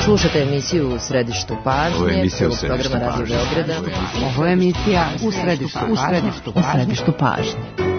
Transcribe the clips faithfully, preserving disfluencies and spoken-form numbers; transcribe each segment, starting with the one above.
Slušate emisiju U središtu pažnje, prvog programa Radio Beograda. Ovo je emisija U središtu pažnje. U središtu pažnje.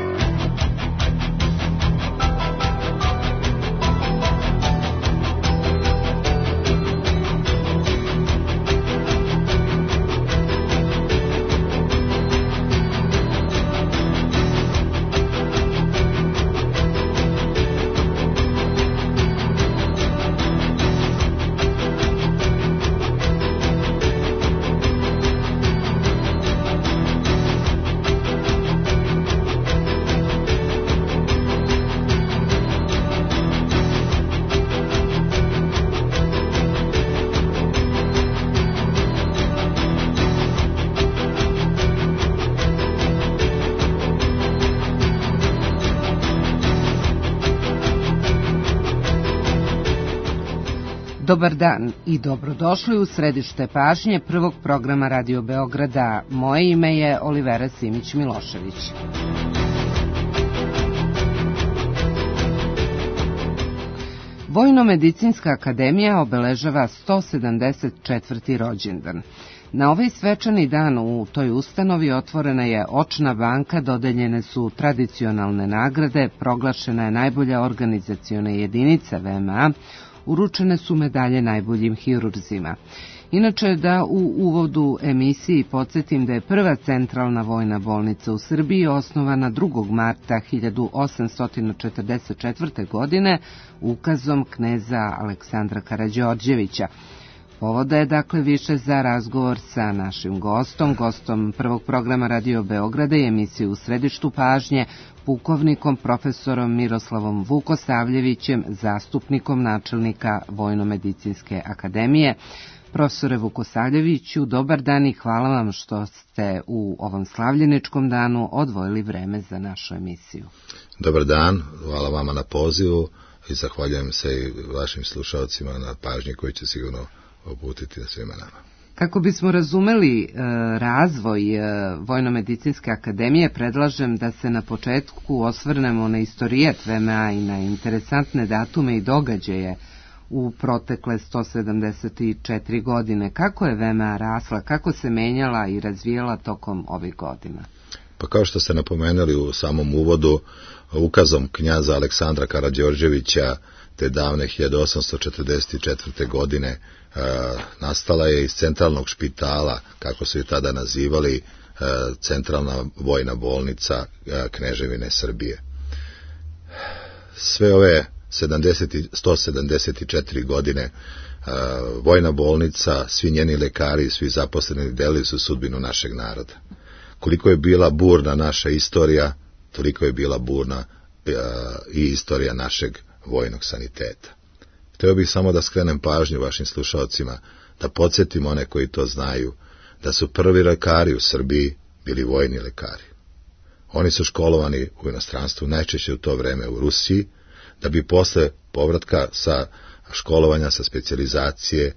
Dobar dan i dobrodošli u središte pažnje prvog programa Radio Beograda. Moje ime je Olivera Simić-Milošević. Vojno-medicinska akademija obeležava sto sedamdeset četvrti rođendan. Na ovaj svečani dan u toj ustanovi otvorena je očna banka, dodeljene su tradicionalne nagrade, proglašena je najbolja organizaciona jedinica V M A, uručene su medalje najboljim hirurzima. Inače, da u uvodu emisiji podsjetim da je prva centralna vojna bolnica u Srbiji osnovana drugog marta hiljadu osamsto četrdeset četvrte. godine ukazom kneza Aleksandra Karađorđevića. Povoda je dakle više za razgovor sa našim gostom, gostom prvog programa Radio Beograda i emisije U središtu pažnje, pukovnikom profesorom Miroslavom Vukosavljevićem, zastupnikom načelnika Vojno-medicinske akademije. Profesore Vukosavljeviću, dobar dan i hvala vam što ste u ovom slavljeničkom danu odvojili vreme za našu emisiju. Dobar dan, hvala vama na pozivu i zahvaljujem se i vašim slušalcima na pažnji koji će sigurno uputiti na svima nama. Kako bismo razumeli e, razvoj e, Vojno-medicinske akademije, predlažem da se na početku osvrnemo na istorijet V M A i na interesantne datume i događaje u protekle sto sedamdeset četiri godine. Kako je V M A rasla, kako se menjala i razvijala tokom ovih godina? Pa kao što ste napomenuli u samom uvodu, ukazom knjaza Aleksandra Karađorđevića te davne hiljadu osamsto četrdeset četvrte. godine e, nastala je iz centralnog špitala, kako su je tada nazivali, e, centralna vojna bolnica e, Kneževine Srbije. Sve ove sto sedamdeset četiri godine e, vojna bolnica, svi njeni lekari, svi zaposleni delili su sudbinu našeg naroda. Koliko je bila burna naša istorija, toliko je bila burna e, i istorija našeg vojnog saniteta. Hteo bih samo da skrenem pažnju vašim slušalcima, da podsjetim one koji to znaju, da su prvi lekari u Srbiji bili vojni lekari. Oni su školovani u inostranstvu, najčešće u to vreme u Rusiji, da bi posle povratka sa školovanja, sa specijalizacije,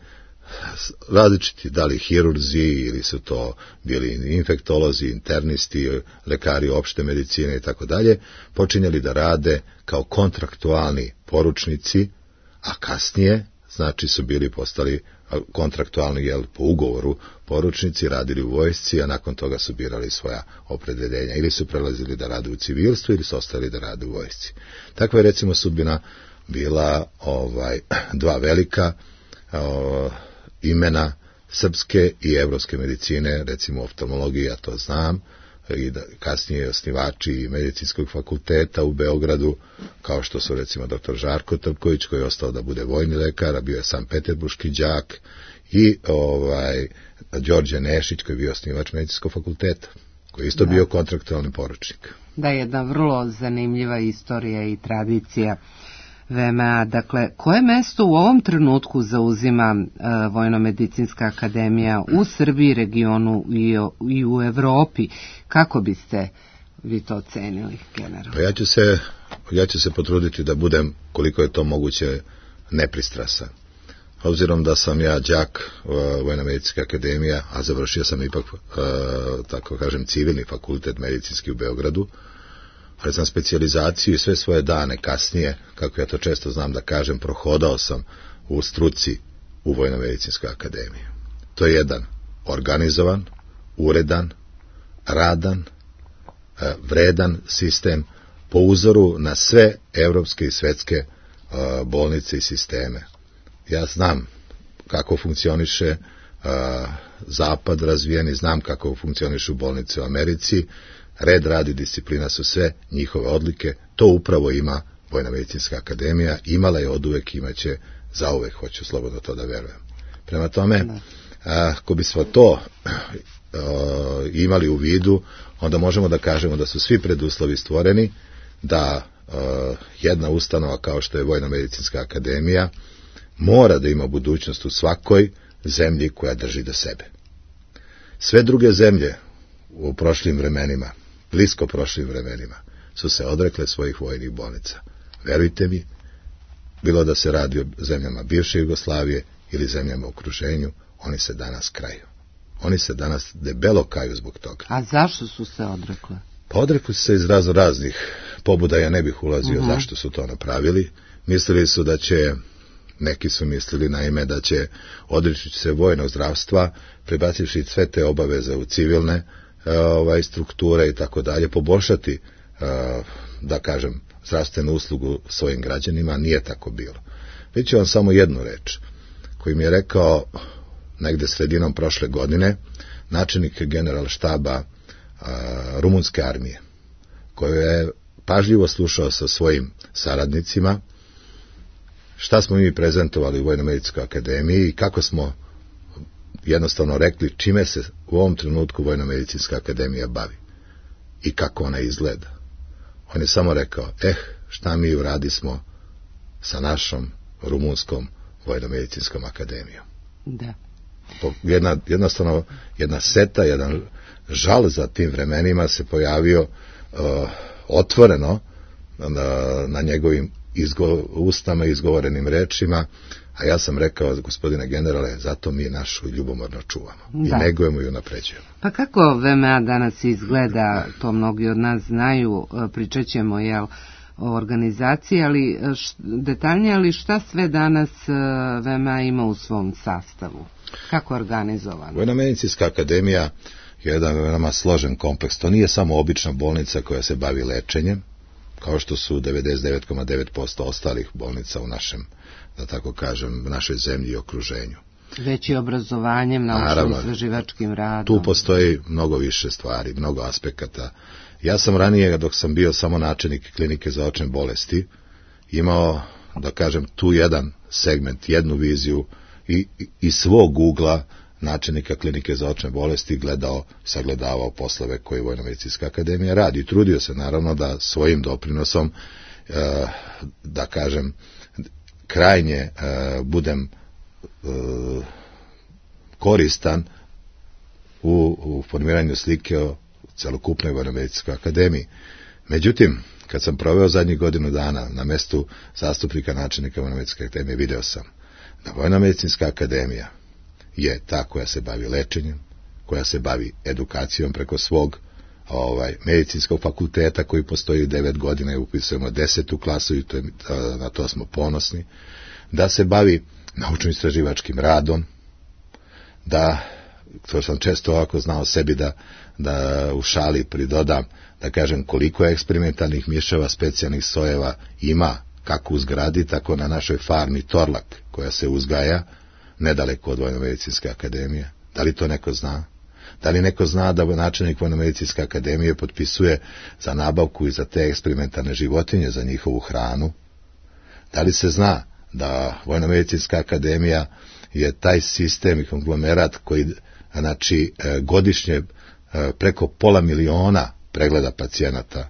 različiti, da li hirurzi ili su to bili infektolozi, internisti, lekari opšte medicine i tako dalje, počinjali da rade kao kontraktualni poručnici, a kasnije, znači su bili postali kontraktualni, jel, po ugovoru poručnici, radili u vojsci, a nakon toga su birali svoja opredeljenja. Ili su prelazili da rade u civilstvu, ili su ostali da rade u vojsci. Takva je recimo sudbina bila ovaj, dva velika o, imena srpske i evropske medicine, recimo oftalmologije, ja to znam, i da, kasnije osnivači medicinskog fakulteta u Beogradu, kao što su recimo doktor Žarko Trpković, koji je ostao da bude vojni lekar, a bio je sam peterburški đak, i ovaj Đorđe Nešić, koji je bio osnivač medicinskog fakulteta, koji je isto da. bio kontraktualni poručnik. Da, jedna vrlo zanimljiva istorija i tradicija V M A. Dakle, koje mesto u ovom trenutku zauzima uh, Vojno-medicinska akademija u Srbiji, regionu i, i u Evropi? Kako biste vi to ocenili, generalno? Pa ja ću se, ja ću se potruditi da budem, koliko je to moguće, nepristrasan. Obzirom da sam ja đak uh, Vojno-medicinske akademije, a završio sam ipak, uh, tako kažem, civilni fakultet medicinski u Beogradu, ali sam specijalizaciju i sve svoje dane kasnije, kako ja to često znam da kažem, prohodao sam u struci u Vojno-medicinskoj akademiji. To je jedan organizovan, uredan, radan, vredan sistem po uzoru na sve evropske i svetske bolnice i sisteme. Ja znam kako funkcioniše zapad razvijeni, znam kako funkcionišu bolnice u Americi, red, rad i disciplina su sve njihove odlike, to upravo ima Vojno-medicinska akademija, imala je oduvek, imaće zauvek, hoću slobodno to da verujem. Prema tome, ako bismo to imali u vidu, onda možemo da kažemo da su svi preduslovi stvoreni da jedna ustanova kao što je Vojno-medicinska akademija mora da ima budućnost u svakoj zemlji koja drži do sebe. Sve druge zemlje u prošlim vremenima, blisko prošlim vremenima, su se odrekle svojih vojnih bolnica. Verujte mi, bilo da se radi o zemljama bivše Jugoslavije ili zemljama u okruženju, oni se danas kraju. Oni se danas debelo kaju zbog toga. A zašto su se odrekle? Pa odrekli su se iz razno raznih pobuda, ja ne bih ulazio uh-huh. zašto su to napravili. Mislili su da će, neki su mislili naime da će odreći se vojnog zdravstva, prebacivši sve te obaveze u civilne ovaj, strukture i tako dalje, poboljšati, da kažem, zdravstvenu uslugu svojim građanima. Nije tako bilo. Već ću vam samo jednu reč koju mi je rekao negde sredinom prošle godine načelnik generalštaba rumunske armije, koju je pažljivo slušao sa svojim saradnicima šta smo mi prezentovali u Vojno-medicinskoj akademiji i kako smo jednostavno rekli čime se u ovom trenutku Vojno-medicinska akademija bavi i kako ona izgleda. On je samo rekao, eh, šta mi uradismo sa našom rumunskom Vojno-medicinskom akademijom. Da. Jedna, jednostavno, jedna seta, jedan žal za tim vremenima se pojavio uh, otvoreno na, na njegovim izgo, ustama i izgovorenim rečima, a ja sam rekao, gospodine generale, zato mi našu ljubomorno čuvamo da. I negujemo i unapređujemo. Pa kako V M A danas izgleda, to mnogi od nas znaju, pričat ćemo, jel, o organizaciji, ali š, detaljnije, ali šta sve danas V M A ima u svom sastavu? Kako je organizovano? Vojno-medicinska akademija je jedan veoma složen kompleks. To nije samo obična bolnica koja se bavi lečenjem, kao što su devedeset devet zarez devet posto ostalih bolnica u našem, da tako kažem, našoj zemlji i okruženju. Već i obrazovanjem, naučno-istraživačkim radom. Tu postoji mnogo više stvari, mnogo aspekata. Ja sam ranije, dok sam bio samo načelnik klinike za očne bolesti, imao, da kažem, tu jedan segment, jednu viziju i, i, i svog ugla načelnika klinike za očne bolesti gledao, sagledavao poslove koje Vojno-medicinska akademija radi. I trudio se naravno da svojim doprinosom, e, da kažem, krajnje e, budem e, koristan u, u formiranju slike o celokupnoj Vojno-medicinskoj akademiji. Međutim, kad sam proveo zadnjih godinu dana na mestu zastupnika načelnika Vojno-medicinske akademije, video sam da Vojno-medicinska akademija je ta koja se bavi lečenjem, koja se bavi edukacijom preko svog ovaj, medicinskog fakulteta koji postoji devet godina i upisujemo desetu klasu i to je, na to smo ponosni, da se bavi naučno-istraživačkim radom, da, to sam često ovako znao sebi da, da u šali pridodam, da kažem koliko eksperimentalnih miševa, specijalnih sojeva ima, kako u zgradi, tako na našoj farmi Torlak, koja se uzgaja nedaleko od Vojno-medicinske akademije. Da li to neko zna? Da li neko zna da načelnik Vojno-medicinske akademije potpisuje za nabavku i za te eksperimentalne životinje, za njihovu hranu? Da li se zna da Vojno-medicinska akademija je taj sistem i konglomerat koji, znači, godišnje preko pola miliona pregleda pacijenata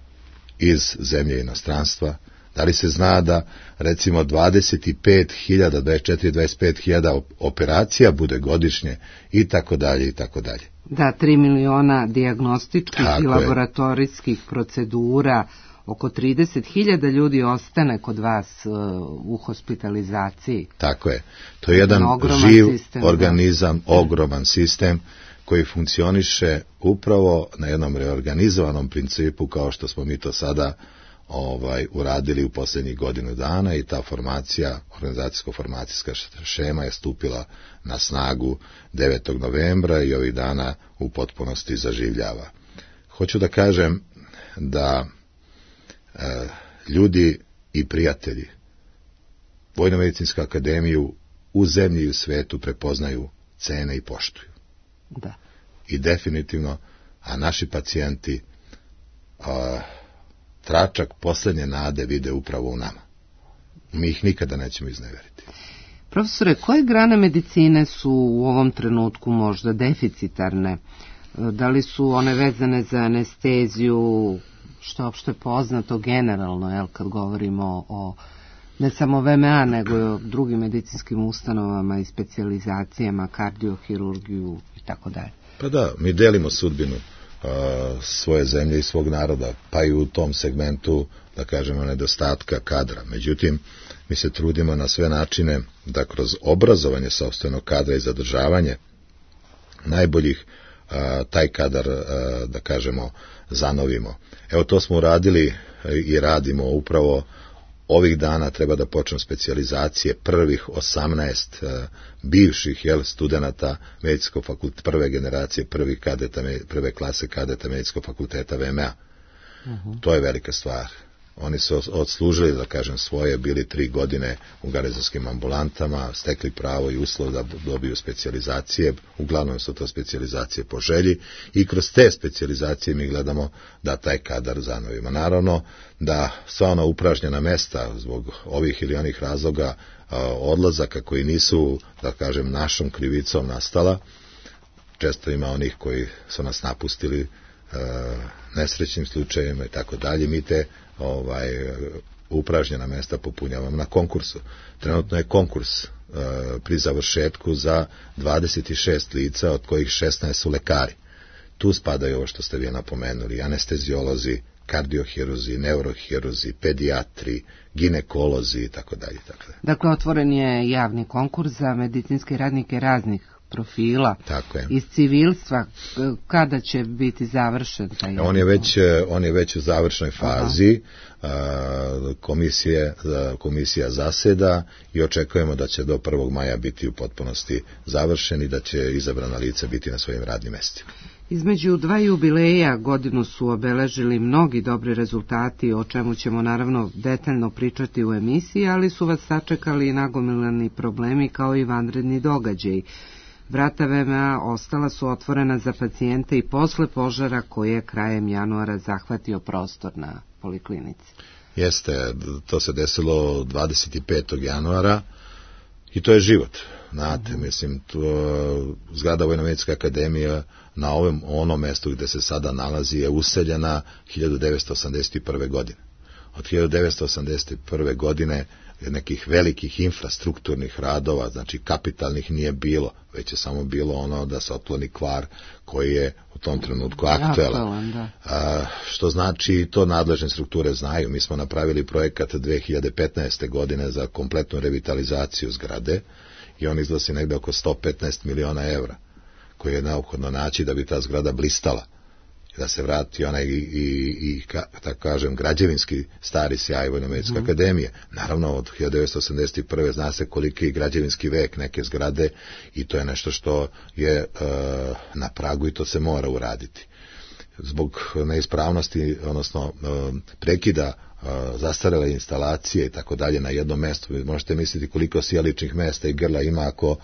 iz zemlje i inostranstva? Da li se zna da, recimo, dvadeset pet hiljada, dvadeset četiri do dvadeset pet hiljada operacija bude godišnje i tako dalje i tako dalje? Da, tri miliona dijagnostičkih tako i laboratorijskih je. procedura, oko trideset hiljada ljudi ostane kod vas uh, u hospitalizaciji. Tako je. To je jedan živ sistem, organizam, da. ogroman sistem koji funkcioniše upravo na jednom reorganizovanom principu kao što smo mi to sada ovaj uradili u posljednjih godinu dana i ta formacija, organizacijsko-formacijska šema je stupila na snagu devetog novembra i ovih dana u potpunosti zaživljava. Hoću da kažem da e, ljudi i prijatelji Vojno-medicinsku akademiju u zemlji i u svetu prepoznaju, cene i poštuju. Da. I definitivno, a naši pacijenti a, tračak posljednje nade vide upravo u nama. Mi ih nikada nećemo izneveriti. Profesore, koje grane medicine su u ovom trenutku možda deficitarne? Da li su one vezane za anesteziju, što je opšte poznato generalno, jel, kad govorimo o ne samo V M A, nego i o drugim medicinskim ustanovama i specijalizacijama, kardiohirurgiju i tako dalje? Pa da, mi delimo sudbinu a, svoje zemlje i svog naroda, pa i u tom segmentu, da kažemo, nedostatka kadra. Međutim, mi se trudimo na sve načine da kroz obrazovanje sopstvenog kadra i zadržavanje najboljih a, taj kadar, a, da kažemo, zanovimo. Evo, to smo uradili i radimo upravo ovih dana. Treba da počnu specijalizacije prvih osamnaest uh, bivših jel, studenata medicinskog fakulteta, prve generacije, prvih kadeta, prve klase kadeta medicinskog fakulteta V M A. Uh-huh. To je velika stvar. Oni su odslužili, da kažem, svoje, bili tri godine u garnizonskim ambulantama, stekli pravo i uslov da dobiju specijalizacije, uglavnom su to specijalizacije po želji i kroz te specijalizacije mi gledamo da taj kadar zanovimo. Naravno da sva ona upražnjena mesta zbog ovih ili onih razloga odlazaka koji nisu, da kažem, našom krivicom nastala, često ima onih koji su nas napustili nesrećnim slučajevima i tako dalje, mi te ovaj upražnjena mesta popunjavamo na konkursu. Trenutno je konkurs e, pri završetku za dvadeset šest lica, od kojih šesnaest su lekari. Tu spadaju ovo što ste vi napomenuli, anesteziolozi, kardiohiruzi, neurohiruzi, pedijatri, ginekolozi i tako dalje. Dakle, otvoren je javni konkurs za medicinske radnike raznih profila. Tako je. Iz civilstva. Kada će biti završen taj? On je već, on je već u završnoj fazi. Aha. Komisije, komisija zaseda i očekujemo da će do prvog maja biti u potpunosti završen i da će izabrana lica biti na svojim radnim mestima. Između dva jubileja godinu su obeležili mnogi dobri rezultati, o čemu ćemo naravno detaljno pričati u emisiji, ali su vas sačekali i nagomilani problemi kao i vanredni događaji. Vrata V M A ostala su otvorena za pacijente i posle požara koji je krajem januara zahvatio prostor na poliklinici. Jeste, to se desilo dvadeset petog januara i to je život. Znate, mm. mislim, to, zgrada Vojno-medicinske akademije na ovom onom mestu gde se sada nalazi je useljena hiljadu devetsto osamdeset prve. godine. Od hiljadu devetsto osamdeset prve. godine nekih velikih infrastrukturnih radova, znači kapitalnih, nije bilo, već je samo bilo ono da se otkloni kvar koji je u tom trenutku aktuelan. A, što znači, to nadležne strukture znaju. Mi smo napravili projekat dve hiljade petnaeste. godine za kompletnu revitalizaciju zgrade i on iznosi negde oko sto petnaest miliona evra, koji je neophodno naći da bi ta zgrada blistala, da se vrati onaj i, i, i ka, tako kažem, građevinski stari sjaj Vojno-medicinske mm. akademije. Naravno, od hiljadu devetsto osamdeset prve. zna se koliki je građevinski vek neke zgrade i to je nešto što je e, na pragu i to se mora uraditi. Zbog neispravnosti, odnosno e, prekida e, zastarele instalacije i tako dalje na jednom mestu, vi možete misliti koliko sjeličnih mesta i grla ima ako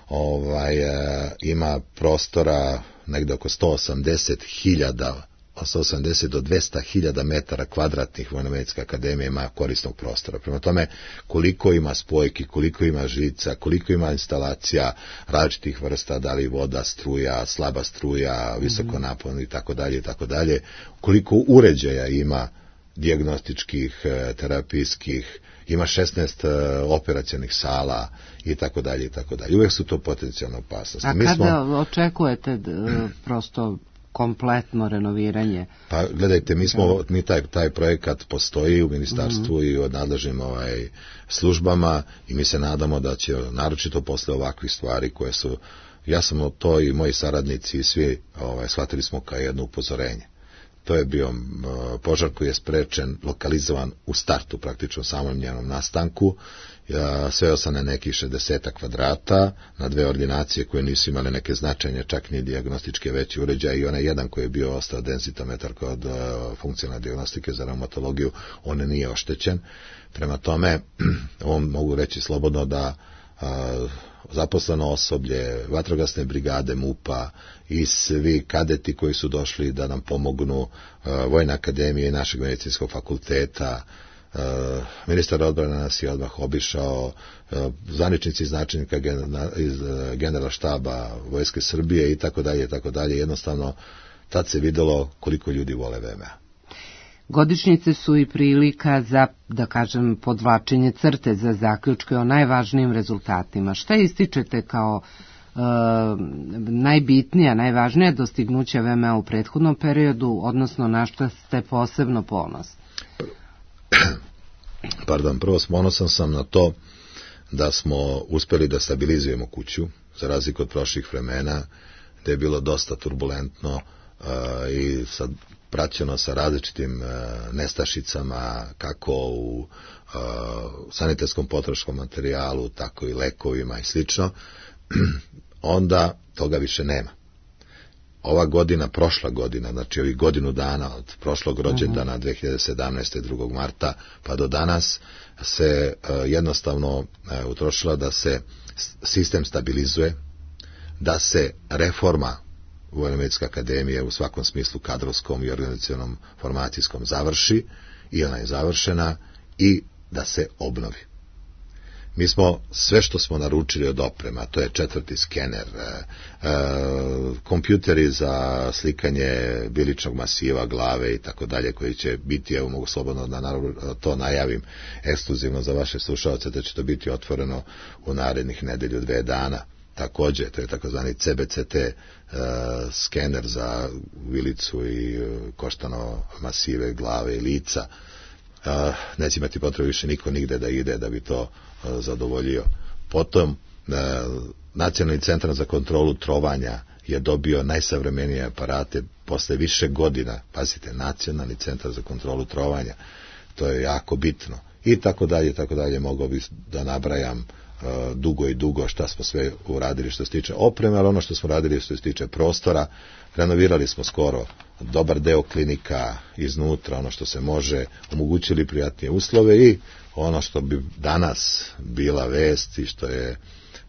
ovaj, e, ima prostora negde oko sto osamdeset hiljada, sto osamdeset do dvesta hiljada metara kvadratnih Vojno-medicinska akademija ima korisnog prostora. Prema tome, koliko ima spojki, koliko ima žica, koliko ima instalacija različitih vrsta, da li voda, struja, slaba struja, visoko napon i tako dalje i tako dalje, koliko uređaja ima dijagnostičkih, terapijskih, ima šesnaest operacionih sala i tako dalje i tako dalje. Uvijek su to potencijalne opasnosti. A mi kada smo... očekujete d, prosto kompletno renoviranje? Pa gledajte, mi smo mi taj taj projekat postoji u ministarstvu mm-hmm. i u nadležnim ovaj službama i mi se nadamo da će naročito posle ovakvih stvari koje su, ja sam to i moji saradnici i svi ovaj shvatili smo kao jedno upozorenje. To je bio požar koji je sprečen, lokalizovan u startu, praktično samom njenom nastanku. Sveo sam na nekih šezdeset kvadrata, na dve ordinacije koje nisu imale neke značajne, čak ni dijagnostičke veće uređaje, i onaj jedan koji je bio ostao densitometar kod funkcionalne dijagnostike za reumatologiju, on nije oštećen. Prema tome, on mogu reći slobodno da a, zaposleno osoblje, vatrogasne brigade MUP-a i svi kadeti koji su došli da nam pomognu, a, Vojna akademija i našeg medicinskog fakulteta, Uh, ministar odbrane nas je odmah obišao, uh, zvaničnici iz načelnika iz uh, general štaba Vojske Srbije i tako dalje i tako dalje. Jednostavno tad se videlo koliko ljudi vole V M A. Godišnjice su i prilika za, da kažem, podvlačenje crte za zaključke o najvažnijim rezultatima. Šta ističete kao uh, najbitnija, najvažnija dostignuća V M A u prethodnom periodu, odnosno na što ste posebno ponosni? Pardon, prvo ponosan sam na to da smo uspeli da stabilizujemo kuću, za razliku od prošlih vremena, gde je bilo dosta turbulentno uh, i sad praćeno sa različitim uh, nestašicama, kako u uh, sanitarskom potroškom materijalu, tako i lekovima i slično. Onda toga više nema. Ova godina, prošla godina, znači ovih godinu dana od prošlog rođendana dve hiljade sedamnaeste. drugog marta pa do danas se uh, jednostavno uh, utrošila da se sistem stabilizuje, da se reforma Vojno-medicinske akademije u svakom smislu kadrovskom i organizacionom formacijskom završi, i ona je završena, i da se obnovi. Mi smo sve što smo naručili od oprema, to je četvrti skener, e, e, kompjuteri za slikanje biličnog masiva, glave i tako dalje, koji će biti, evo mogu slobodno da to najavim ekskluzivno za vaše slušalce, da će to biti otvoreno u narednih nedelju, dve dana. Takođe, to je takozvani C B C T e, skener za vilicu i e, koštano masive, glave i lica. Uh, neće imati potrebu više niko nigde da ide da bi to uh, zadovoljio. Potom uh, Nacionalni centar za kontrolu trovanja je dobio najsavremenije aparate posle više godina. Pazite, Nacionalni centar za kontrolu trovanja, to je jako bitno. I tako dalje, tako dalje, mogao bih da nabrajam uh, dugo i dugo šta smo sve uradili što se tiče opreme, ali ono što smo radili što se tiče prostora, renovirali smo skoro dobar deo klinika iznutra, ono što se može, omogućili prijatnije uslove, i ono što bi danas bila vest i što je,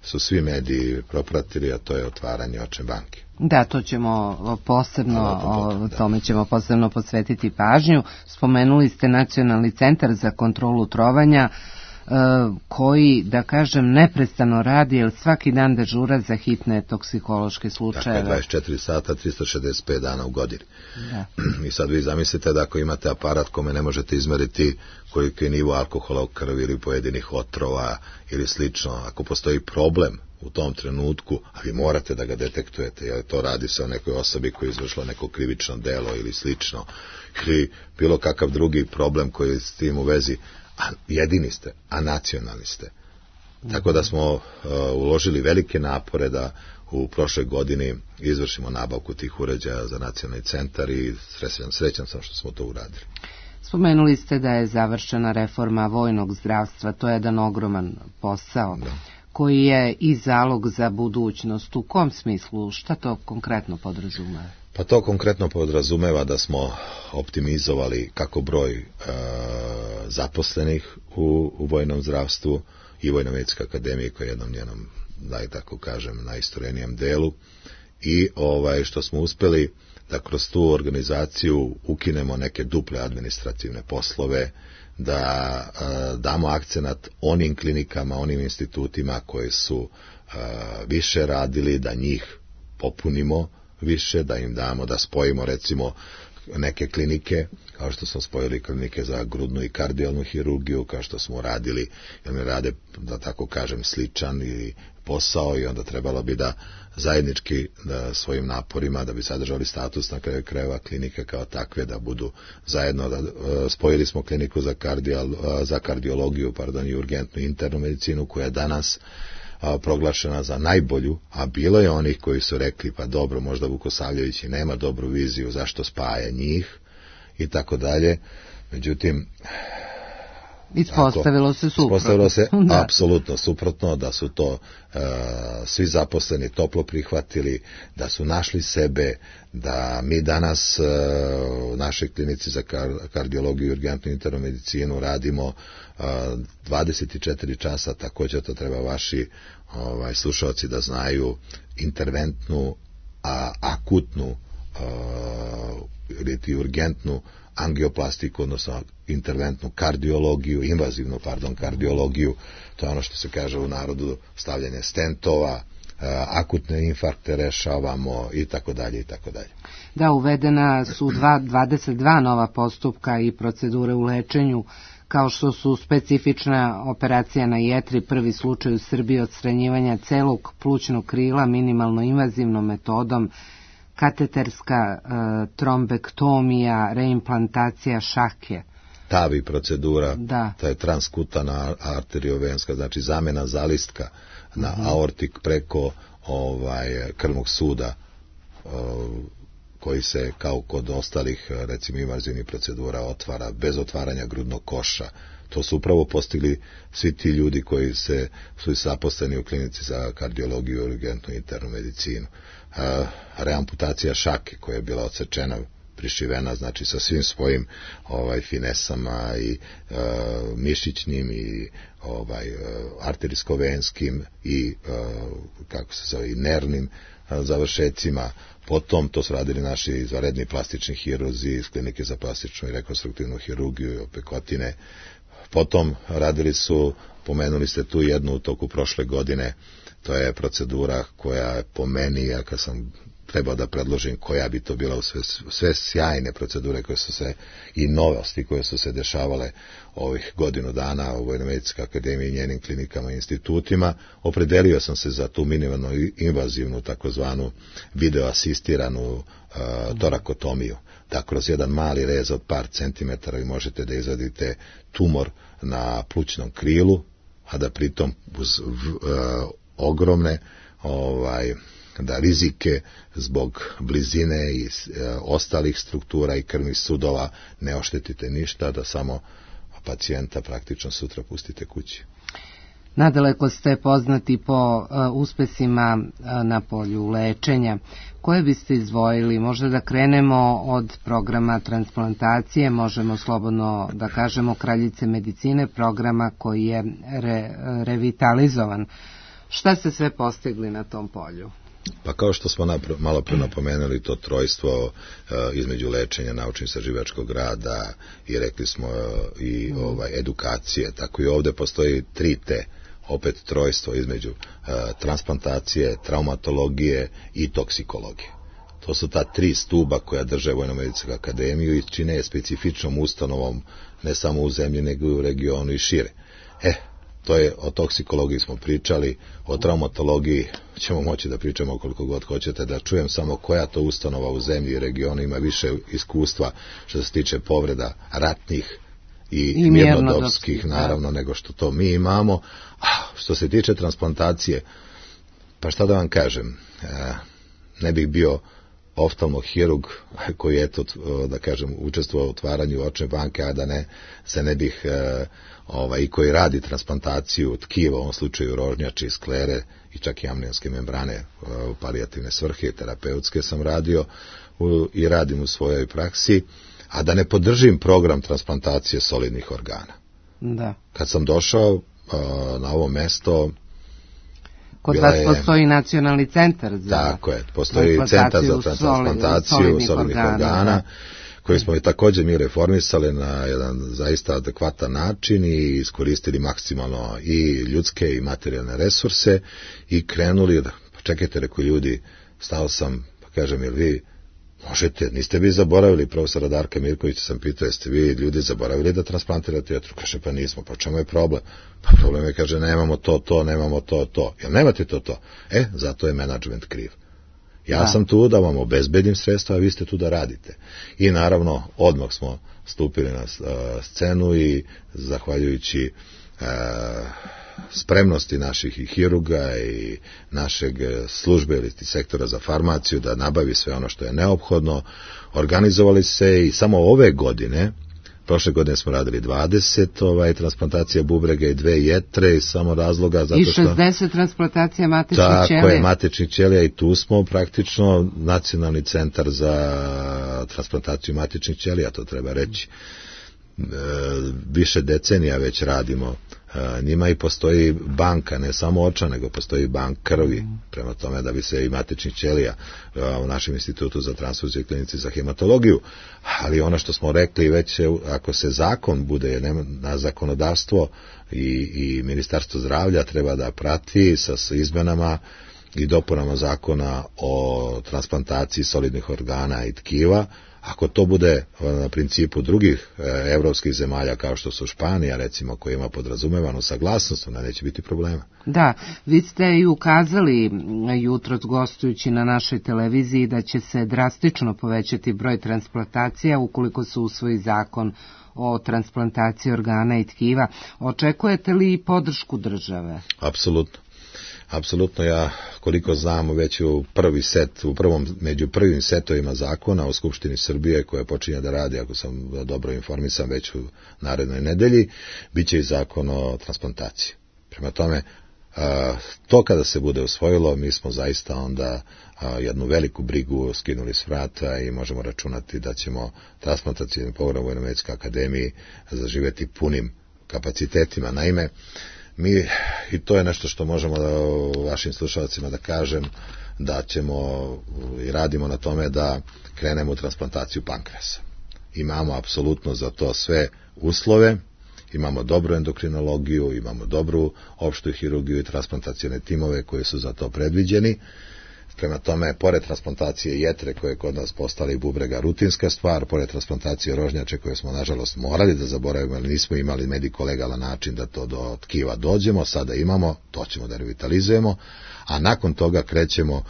su svi mediji propratili, a to je otvaranje očne banke. Da, to ćemo posebno, o tome ćemo posebno posvetiti pažnju. Spomenuli ste Nacionalni centar za kontrolu trovanja, koji, da kažem, neprestano radi, jer svaki dan dežura za hitne toksikološke slučajeve. Dakle, dvadeset četiri sata, tristo šezdeset pet dana u godini. Da. I sad vi zamislite da ako imate aparat kome ne možete izmeriti koliki je nivo alkohola u krvi ili pojedinih otrova ili slično, ako postoji problem u tom trenutku, a vi morate da ga detektujete, jer to radi se o nekoj osobi koja je izvršila neko krivično delo ili slično, ili bilo kakav drugi problem koji je s tim u vezi, a jedini ste, a nacionalni ste. Tako da smo uh, uložili velike napore da u prošloj godini izvršimo nabavku tih uređaja za nacionalni centar, i srećan, srećan sam što smo to uradili. Spomenuli ste da je završena reforma vojnog zdravstva, to je jedan ogroman posao, da, koji je i zalog za budućnost. U kom smislu, šta to konkretno podrazumeva? Pa to konkretno podrazumeva da smo optimizovali kako broj e, zaposlenih u, u vojnom zdravstvu i Vojno-medicinske akademije, koja je jednom njenom, da i tako kažem, najistorenijem delu, i ovaj što smo uspeli da kroz tu organizaciju ukinemo neke duple administrativne poslove, da e, damo akcenat onim klinikama, onim institutima koji su e, više radili, da njih popunimo više, da im damo, da spojimo recimo neke klinike, kao što smo spojili klinike za grudnu i kardijalnu hirurgiju, kao što smo radili, jer mi rade, da tako kažem, sličan ili posao, i onda trebalo bi da zajednički da svojim naporima, da bi sadržali status na kraju krajeva klinike kao takve, da budu zajedno, da spojili smo kliniku za, kardijal, za kardiologiju, pardon, i urgentnu internu medicinu, koja je danas a, proglašena za najbolju, a bilo je onih koji su rekli, pa dobro, možda Vukosavljević i nema dobru viziju, zašto spaja njih, i tako dalje. Međutim, ispostavilo se suprotno. Ispostavilo se apsolutno suprotno, da su to uh, svi zaposleni toplo prihvatili, da su našli sebe, da mi danas uh, u našoj klinici za kar, kardiologiju i urgentnu internu medicinu radimo uh, dvadeset četiri časa, također to treba vaši ovaj, slušalci da znaju, interventnu, a, akutnu uh, ili urgentnu angioplastiku, odnosno interventnu kardiologiju, invazivnu, pardon, kardiologiju, to je ono što se kaže u narodu stavljanje stentova, akutne infarkte rešavamo i tako dalje i tako dalje. Da, uvedena su dva, dvadeset dva nova postupka i procedure u lečenju, kao što su specifična operacija na jetri, prvi slučaj u Srbiji odstranjivanja celog plućnog krila minimalno invazivnom metodom, kateterska e, trombektomija, reimplantacija šake. Tavi procedura, da. To je transkutana arteriovenska, znači zamena zalistka na uh-huh. aortik preko ovaj krvnog suda, o, koji se kao kod ostalih recimo invazivnih procedura otvara bez otvaranja grudnog koša. To su upravo postigli svi ti ljudi koji se su zaposleni u klinici za kardiologiju i urgentnu internu medicinu. Uh, reamputacija šake koja je bila odsečena, prišivena, znači sa svim svojim ovaj finesama i uh, mišićnim i ovaj uh, arterijsko-venskim i uh, kako se zove i nervnim uh, završecima. Potom to su radili naši izvanredni plastični hirurzi iz klinike za plastičnu i rekonstruktivnu hirurgiju i opekotine. Potom radili su, pomenuli ste tu jednu u toku prošle godine, to je procedura koja je po meni, ja kad sam trebao da predložim koja bi to bila u sve, sve sjajne procedure koje su se i novosti koje su se dešavale ovih godinu dana u Vojnomedicinskoj akademiji i njenim klinikama i institutima, opredelio sam se za tu minimalno invazivnu takozvanu videoasistiranu uh, torakotomiju, da kroz jedan mali rez od par centimetara vi možete da izvadite tumor na plućnom krilu, a da pritom uz uh, ogromne ovaj da rizike zbog blizine i e, ostalih struktura i krvnih sudova ne oštetite ništa, da samo pacijenta praktično sutra pustite kući. Nadaleko ste poznati po uh, uspesima uh, na polju lečenja. Koje biste izdvojili? Možda da krenemo od programa transplantacije, možemo slobodno da kažemo kraljice medicine, programa koji je re, revitalizovan. Šta ste sve postigli na tom polju? Pa kao što smo napr- malo pre napomenuli, to trojstvo uh, između lečenja, naučno-istraživačkog rada i rekli smo uh, i ovaj, edukacije, tako i ovde postoji tri te, opet trojstvo između uh, transplantacije, traumatologije i toksikologije. To su ta tri stuba koja drže Vojnomedicinsku akademiju i čine je specifičnom ustanovom ne samo u zemlji nego i u regionu i šire. E, to je, o toksikologiji smo pričali, o traumatologiji ćemo moći da pričamo koliko god hoćete, da čujem samo koja to ustanova u zemlji i regionu ima više iskustva što se tiče povreda ratnih i, I mirnodopskih, naravno, nego što to mi imamo. A što se tiče transplantacije, pa šta da vam kažem, e, ne bih bio oftalmohirurg koji je, eto, da kažem, učestvovao u otvaranju očne banke, a da ne, se ne bih, e, ovaj, i koji radi transplantaciju tkiva, u ovom slučaju rožnjače i sklere i čak i amnionske membrane u palijativne svrhe, terapeutske sam radio u, i radim u svojoj praksi, a da ne podržim program transplantacije solidnih organa. Da. Kad sam došao a, na ovo mesto, kod vas je, postoji nacionalni centar za tako je, postoji centar za transplantaciju solidnih, solidnih organa, organa koji smo i također mi reformisali na jedan zaista adekvatan način i iskoristili maksimalno i ljudske i materijalne resurse i krenuli, da, čekajte, rekao ljudi, stao sam, pa kažem, jel vi možete, niste vi zaboravili, profesora Darka Mirkovića sam pitao, jeste vi ljudi zaboravili da transplantirate jetru? Kaže, pa nismo, pa čemu je problem? Pa problem je, kaže, nemamo to, to, nemamo to, to. Jel nemate to, to? E, zato je menadžment kriv. Ja da. sam tu da vam obezbedim sredstva, a vi ste tu da radite. I naravno, odmah smo stupili na uh, scenu i zahvaljujući spremnosti naših i hirurga i našeg službe ili sektora za farmaciju da nabavi sve ono što je neophodno. Organizovali se i samo ove godine, prošle godine smo radili dvadeset ovaj, transplantacija bubrega i dve jetre iz samo razloga zato što... I šezdeset transplantacija matičnih ćelija. Tako je, matičnih ćelija i tu smo praktično Nacionalni centar za transplantaciju matičnih ćelija, to treba reći. E, više decenija već radimo e, njima i postoji banka, ne samo oča, nego postoji bank krvi, prema tome da bi se i matičnih ćelija e, u našem institutu za transfuziju i klinici za hematologiju, ali ono što smo rekli već, ako se zakon bude na zakonodavstvo i, i Ministarstvo zdravlja treba da prati sa, sa izmenama i dopunama zakona o transplantaciji solidnih organa i tkiva. Ako to bude na principu drugih evropskih zemalja kao što su Španija, recimo, koja ima podrazumevanu saglasnost, onda neće biti problema. Da, vi ste i ukazali jutros gostujući na našoj televiziji da će se drastično povećati broj transplantacija ukoliko se usvoji zakon o transplantaciji organa i tkiva. Očekujete li podršku države? Apsolutno. Apsolutno, ja koliko znam već u prvi set, u prvom, među prvim setovima zakona o Skupštini Srbije koja počinje da radi, ako sam dobro informisan, već u narednoj nedelji, bit će i zakon o transplantaciji. Prema tome, to kada se bude usvojilo, mi smo zaista onda jednu veliku brigu skinuli s vrata i možemo računati da ćemo transplantacijni program u Vojno-medicinskoj akademiji zaživjeti punim kapacitetima. Naime, mi, i to je nešto što možemo da, vašim slušalcima da kažem, da ćemo i radimo na tome da krenemo u transplantaciju pankreasa. Imamo apsolutno za to sve uslove, imamo dobru endokrinologiju, imamo dobru opštu hirurgiju i transplantacione timove koji su za to predviđeni. Prema tome, pored transplantacije jetre koje je kod nas postala i bubrega rutinska stvar, pored transplantacije rožnjače koje smo nažalost morali da zaboravimo, ali nismo imali mediko-legalan način da to do tkiva dođemo, sada imamo, to ćemo da revitalizujemo, a nakon toga krećemo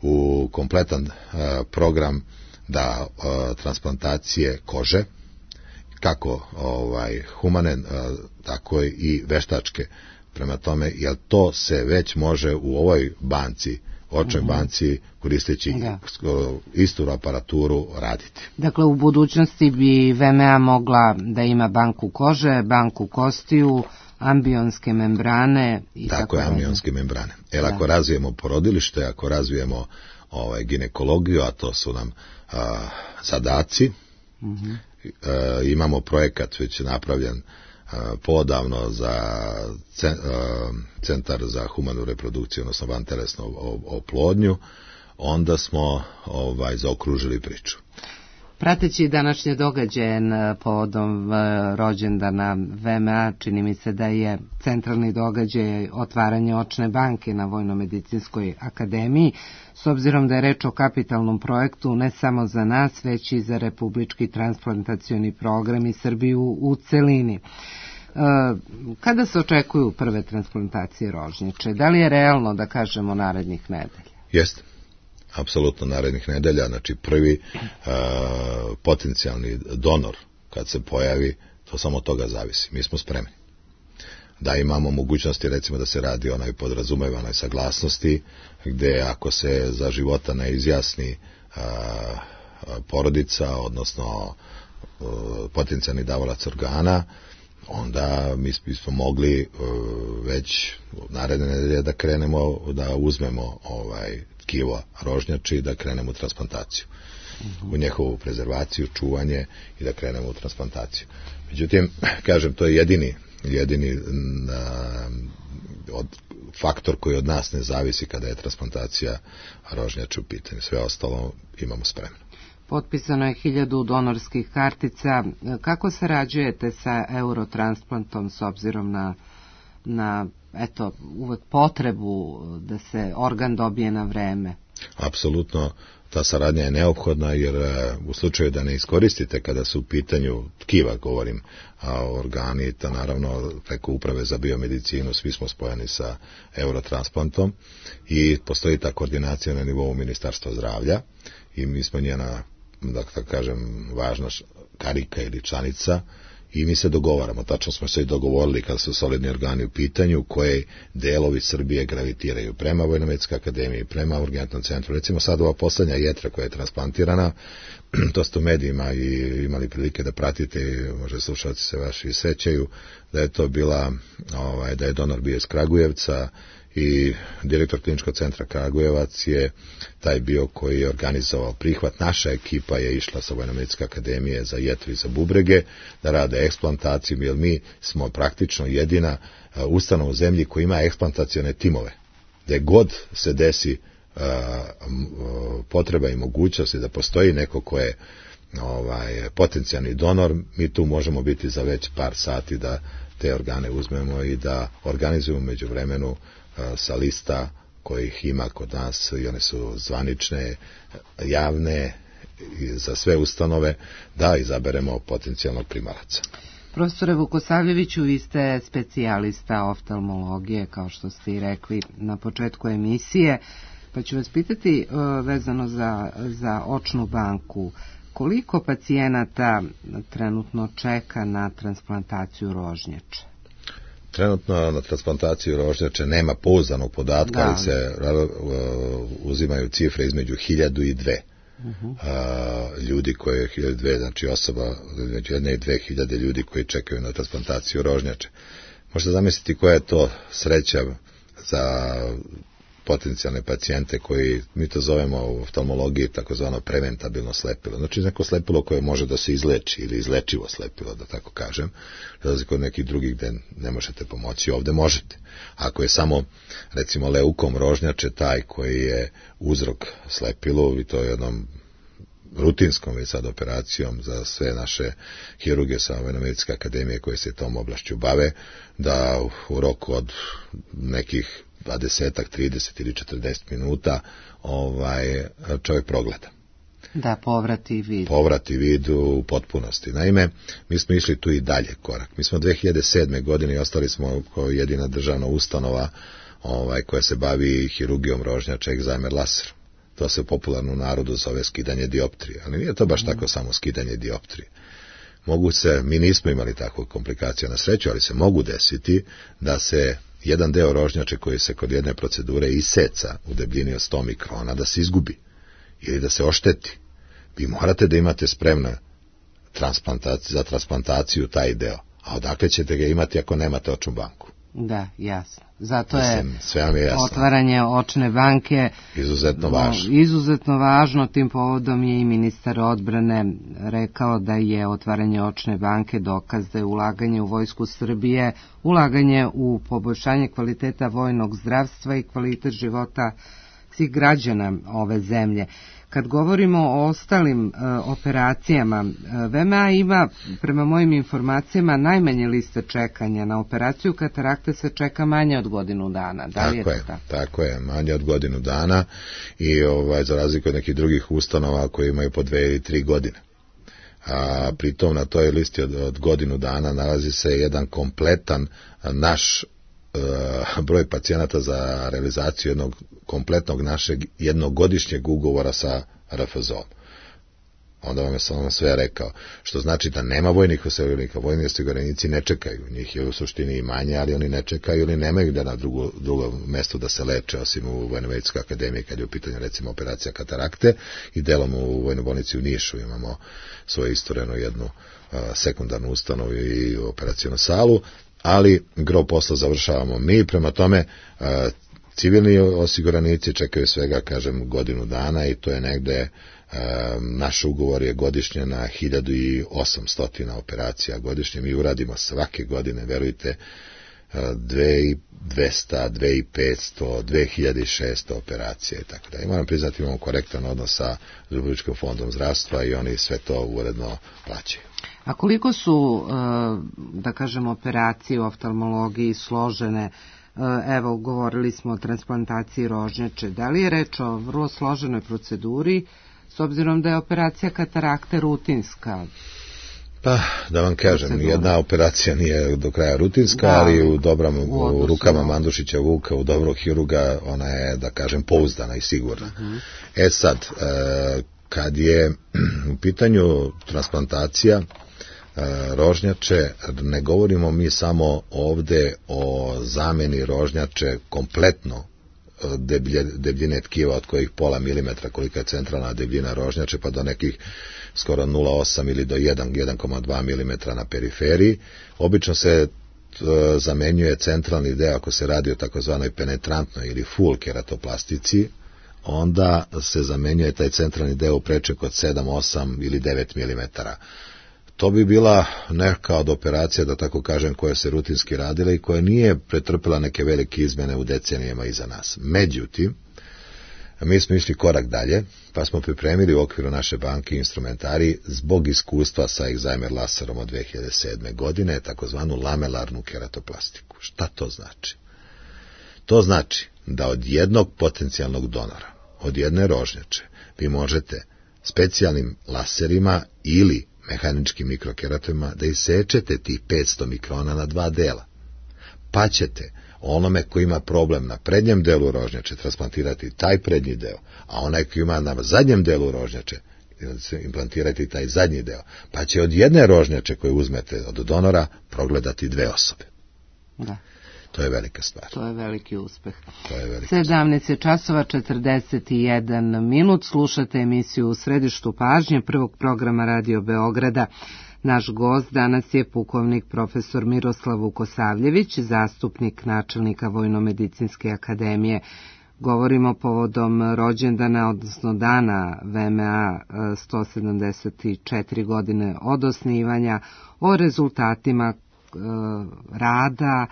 u kompletan uh, program da uh, transplantacije kože, kako ovaj, humane, uh, tako i veštačke. Prema tome, jer to se već može u ovoj banci očnoj banci koristeći da. istu aparaturu raditi. Dakle, u budućnosti bi V M A mogla da ima banku kože, banku kostiju, ambionske membrane i tako, tako je, ambionske membrane. Jer ako razvijemo porodilište, ako razvijemo ovaj, ginekologiju, a to su nam a, zadaci, uh-huh. a, imamo projekat već napravljen podavno za centar za humanu reprodukciju, odnosno vantelesnu oplodnju, onda smo ovaj, zaokružili priču. Prateći današnje događaje povodom rođendana V M A, čini mi se da je centralni događaj otvaranje očne banke na Vojno-medicinskoj akademiji, s obzirom da je reč o kapitalnom projektu ne samo za nas, već i za Republički transplantacioni program i Srbiju u celini. Kada se očekuju prve transplantacije rožnjače? Da li je realno da kažemo narednih nedelja? Jeste. Apsolutno narednih nedelja, znači prvi uh, potencijalni donor kad se pojavi, to samo od toga zavisi. Mi smo spremni. Da imamo mogućnosti, recimo da se radi o onoj podrazumevanoj saglasnosti, gde ako se za života ne izjasni uh, porodica, odnosno uh, potencijalni davalac organa, onda mi smo mogli uh, već naredne nedelje da krenemo, da uzmemo ovaj tkivo rožnjači i da krenemo u transplantaciju. Uh-huh. U njehovu prezervaciju, čuvanje i da krenemo u transplantaciju. Međutim, kažem, to je jedini, jedini na, od, faktor koji od nas ne zavisi kada je transplantacija rožnjača u pitanju. Sve ostalo imamo spremno. Potpisano je hiljadu donorskih kartica. Kako sarađujete sa Eurotransplantom s obzirom na, na eto, uvek potrebu da se organ dobije na vreme? Apsolutno, ta saradnja je neophodna jer u slučaju da ne iskoristite kada su u pitanju tkiva, govorim, a organi, ta naravno preko uprave za biomedicinu svi smo spojeni sa Eurotransplantom i postoji ta koordinacija na nivou Ministarstva zdravlja i mi smo njena, da kažem, važna karika ili članica i mi se dogovaramo, tačno smo se i dogovorili kada su solidni organi u pitanju, koje delovi Srbije gravitiraju prema Vojnomedicinskoj akademiji, prema urgentnom centru. Recimo sad ova poslednja jetra koja je transplantirana, to ste u medijima i imali prilike da pratite, možda slušalci se vaši sećaju, da je to bila, ovaj, da je donor bio iz Kragujevca, i direktor kliničkog centra Kragujevac je taj bio koji je organizovao prihvat. Naša ekipa je išla sa Vojnomedicinske akademije za jetru i za bubrege da rade eksplantaciju, jer mi smo praktično jedina ustanova u zemlji koja ima eksplantacione timove. Gde god se desi uh, potreba i mogućnosti da postoji neko ko je ovaj, potencijalni donor, mi tu možemo biti za već par sati da te organe uzmemo i da organizujemo među vremenu sa lista kojih ima kod nas, i one su zvanične, javne za sve ustanove, da izaberemo potencijalnog primalaca. Profesore Vukosavljeviću, vi ste specijalista oftalmologije, kao što ste i rekli na početku emisije, pa ću vas pitati vezano za, za očnu banku. Koliko pacijenata trenutno čeka na transplantaciju rožnjače? Trenutno na transplantaciju rožnjače nema pouzdanog podatka, da. Ali se uh, uzimaju cifre između hiljadu i dve. Uh-huh. Uh, ljudi koje, hiljadu dve, znači osoba, između jedne i dve hiljade ljudi koji čekaju na transplantaciju rožnjače. Možete zamisliti koja je to sreća za potencijalne pacijente koji, mi to zovemo u oftalmologiji takozvano preventabilno slepilo. Znači neko slepilo koje može da se izleči ili izlečivo slepilo, da tako kažem. Razliku od nekih drugih gde ne možete pomoći, ovde možete. Ako je samo, recimo, leukom rožnjače taj koji je uzrok slepilu, i to je jednom rutinskom već sad operacijom za sve naše hirurge sa Vojnomedicinske akademije koje se tom oblašću bave, da u roku od nekih dvadeset, trideset ili četrdeset minuta ovaj, čovjek progleda. Da, povrati vid. Povrati vid u potpunosti. Naime, mi smo išli tu i dalje korak. Mi smo dve hiljade sedme. godine i ostali smo kao jedina državna ustanova ovaj, koja se bavi hirurgijom rožnjača egzajmer laserom. To se popularno u narodu zove skidanje dioptrije, ali nije to baš mm. tako samo skidanje dioptrije. Mogu se, mi nismo imali takvu komplikaciju na sreću, ali se mogu desiti da se jedan deo rožnjače koji se kod jedne procedure iseca u debljini od sto mikrona, da se izgubi ili da se ošteti. Vi morate da imate spremno za transplantaciju taj deo. A odakle ćete ga imati ako nemate očnu banku? Da, jasno. Zato Mislim, je, sve vam je jasno. Otvaranje očne banke izuzetno važno. Izuzetno važno. Tim povodom je i ministar odbrane rekao da je otvaranje očne banke dokaz da je ulaganje u Vojsku Srbije, ulaganje u poboljšanje kvaliteta vojnog zdravstva i kvalitet života svih građana ove zemlje. Kad govorimo o ostalim e, operacijama, V M A ima, prema mojim informacijama, najmanje liste čekanja. Na operaciju katarakte se čeka manje od godinu dana. Da li tako je je, to tako? Tako je, manje od godinu dana i ovaj, za razliku od nekih drugih ustanova koji imaju po dve ili tri godine. A pritom na toj listi od, od godinu dana nalazi se jedan kompletan naš broj pacijenata za realizaciju jednog kompletnog našeg jednogodišnjeg ugovora sa R F Z O-om. Onda vam je samo sve rekao, što znači da nema vojnih osiguranika, vojni osiguranici ne čekaju, njih je u suštini i manje, ali oni ne čekaju ili nemaju da na drugo, drugo mesto da se leče, osim u Vojnomedicinskoj akademiji kad je u pitanju recimo operacija katarakte, i delom u Vojnoj bolnici u Nišu imamo svoju istorenu jednu uh, sekundarnu ustanovu i operacijonu salu, ali gro posla završavamo mi, prema tome civilni osiguranici čekaju svega, kažem, godinu dana i to je negde, naš ugovor je godišnje na hiljadu osamsto operacija godišnje, mi uradimo svake godine, verujte, dve hiljade dvesta, dve hiljade petsto, dve hiljade šesto operacija i tako da. I moram priznati, imamo korektan odnos sa Republičkim fondom zdravstva i oni sve to uredno plaćaju. A koliko su, da kažem, operacije u oftalmologiji složene? Evo, govorili smo o transplantaciji rožnjače. Da li je reč o vrlo složenoj proceduri, s obzirom da je operacija katarakte rutinska? Pa, da vam kažem, procedura. Jedna operacija nije do kraja rutinska, da, ali u, dobrom, u, u rukama Mandušića Vuka, u dobrog hiruga, ona je, da kažem, pouzdana i sigurna. Uh-huh. E sad, e, kad je u pitanju transplantacija, rožnjače, ne govorimo mi samo ovde o zameni rožnjače kompletno deblje, debljine tkiva od kojih pola milimetra kolika je centralna debljina rožnjače pa do nekih skoro nula zarez osam ili do jedan zarez dva milimetra na periferiji. Obično se zamenjuje centralni deo ako se radi o takozvanoj penetrantnoj ili full keratoplastici, onda se zamenjuje taj centralni deo u preček od sedam, osam ili devet milimetara. To bi bila neka od operacija, da tako kažem, koja se rutinski radila i koja nije pretrpela neke velike izmene u decenijama iza nas. Međutim, mi smo išli korak dalje, pa smo pripremili u okviru naše banke instrumentari zbog iskustva sa Alzheimer laserom od dve hiljade sedme. godine, takozvanu lamelarnu keratoplastiku. Šta to znači? To znači da od jednog potencijalnog donora, od jedne rožnjače, vi možete specijalnim laserima ili mehaničkim mikrokeratovima da isečete tih petsto mikrona na dva dela. Pa ćete onome koji ima problem na prednjem delu rožnjače transplantirati taj prednji deo, a onaj koji ima na zadnjem delu rožnjače implantirati taj zadnji deo. Pa će od jedne rožnjače koju uzmete od donora progledati dve osobe. Da. To je velika stvar. To je veliki uspeh. To je veliki sedamnaest časova četrdeset jedan minut. Slušate emisiju U središtu pažnje prvog programa Radio Beograda. Naš gost danas je pukovnik profesor Miroslav Vukosavljević, zastupnik načelnika Vojnomedicinske akademije. Govorimo povodom rođendana, odnosno dana V M A sto sedamdeset četiri godine od osnivanja, o rezultatima e, rada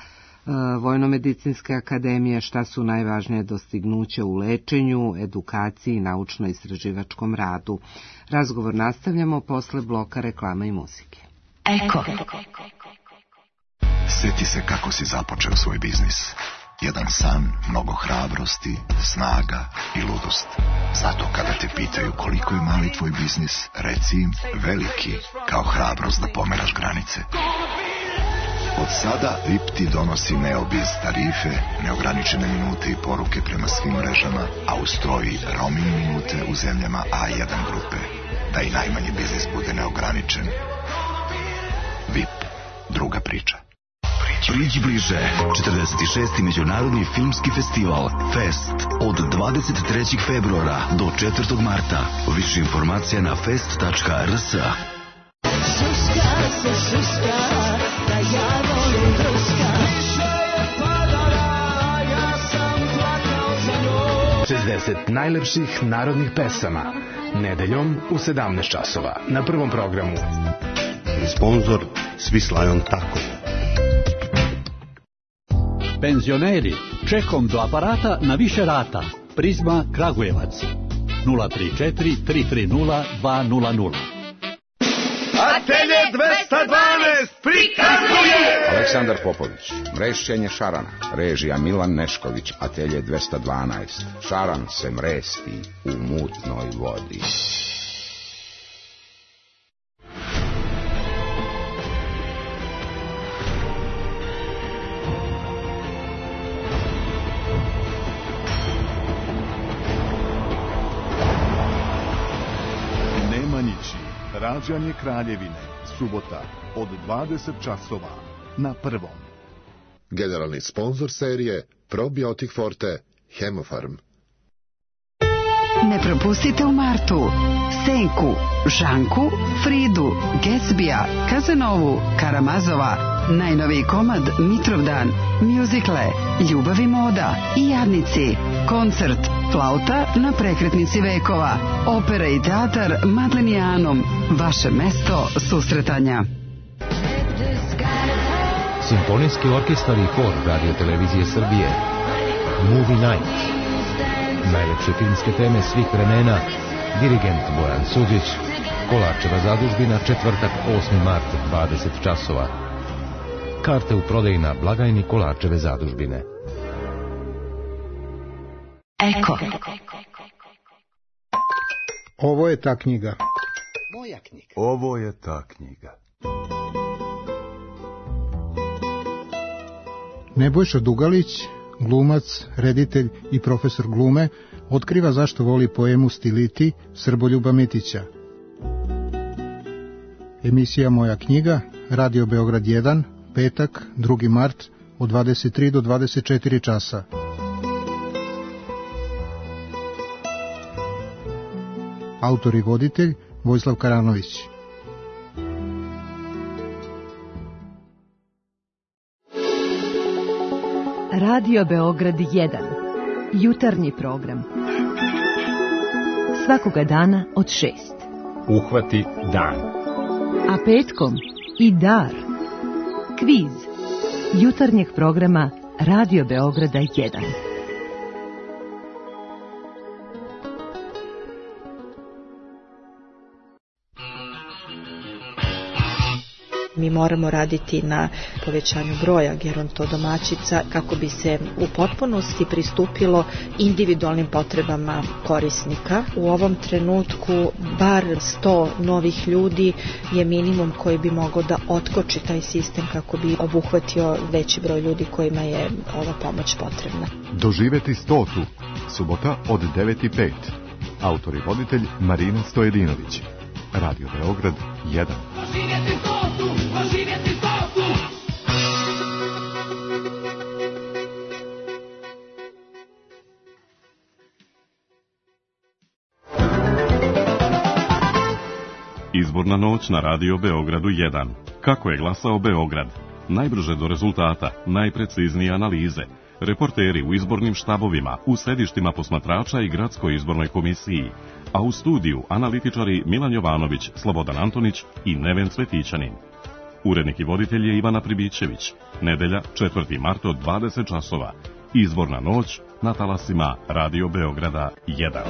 Vojnomedicinske akademije, šta su najvažnije dostignuće u lečenju, edukaciji i naučno-istraživačkom radu. Razgovor nastavljamo posle bloka reklama i muzike. Eko. Sjeti se kako si započeo svoj biznis. Jedan san, mnogo hrabrosti, snaga i ludost. Zato kada te pitaju koliko je mali tvoj biznis, reci im veliki, kao hrabrost da pomeraš granice. Od sada V I P ti donosi Neobiz tarife, neograničene minute i poruke prema svim mrežama, a uz to i roaming minute u zemljama A jedan grupe. Da i najmanji biznis bude neograničen. V I P. Druga priča. Priđi bliže. četrdeset šesti Međunarodni filmski festival Fest od dvadeset trećeg februara do četvrtog marta. Više informacija na fest tačka r s. Šuška se šuška, da ja volim druška. Više je padala, ja sam plakao za njom. šezdeset najlepših narodnih pesama. Nedeljom u sedamnaest časova na prvom programu. Sponzor Swiss Lion Taco. Penzioneri, čekom do aparata na više rata. Prizma Kragujevac. nula tri četiri tri tri nula dva nula nula. Atelje dvesta dvanaest prikazuje Aleksandar Popović, mrešćenje šarana, režija Milan Nešković. Atelje dvesta dvanaest, šaran se mresti u mutnoj vodi. Nemanjići, rađanje Kraljevine, subota od dvadeset časova na prvom. Generalni sponsor serije Probiotik Forte, Hemofarm. Ne propustite u martu Senku, Žanku, Fridu, Gatsbija, Kazanovu, Karamazova, najnoviji komad Mitrovdan, mjuzikle, Ljubav i moda i Jadnici, koncert Flauta na prekretnici vekova, opera i teatar Madlenijanom, vaše mesto susretanja. Simfonijski orkestar i hor Radio Televizije Srbije. Movie Night. Najlepše filmske teme svih vremena. Dirigent Bojan Suđić. Kolarčeva zadužbina, četvrtak osmi mart, dvadeset časova. Karte u prodaji na blagajni Kolarčeve zadužbine. Eko. Ovo je ta knjiga. Moja knjiga. Ovo je ta knjiga. Nebojša Dugalić, glumac, reditelj i profesor glume, otkriva zašto voli poemu Stiliti Srboljuba Mitića. Emisija Moja knjiga, Radio Beograd jedan, petak, drugi mart, od dvadeset tri do dvadeset četiri časa. Autor i voditelj Vojislav Karanović. Radio Beograd jedan. Jutarnji program. Svakoga dana od šest. Uhvati dan. A petkom i dar. Kviz. Jutarnjeg programa Radio Beograda jedan. Mi moramo raditi na povećanju broja gerontodomaćica kako bi se u potpunosti pristupilo individualnim potrebama korisnika. U ovom trenutku bar sto novih ljudi je minimum koji bi mogao da otkoči taj sistem kako bi obuhvatio veći broj ljudi kojima je ova pomoć potrebna. Doživeti stotu. Subota od devet i pet. Autor i voditelj Marina Stojedinović. Radio Beograd jedan. Doživjeti stotu, doživjeti stotu. Izborna noć na Radio Beogradu jedan. Kako je glasao Beograd? Najbrže do rezultata, najpreciznije analize. Reporteri u izbornim štabovima, u sedištima posmatrača i gradskoj izbornoj komisiji. A u studiju analitičari Milan Jovanović, Slobodan Antonić i Neven Cvetićanin. Urednik i voditelj je Ivana Pribićević. Nedelja, četvrti mart od dvadeset časova. Izborna noć na talasima Radio Beograda jedan.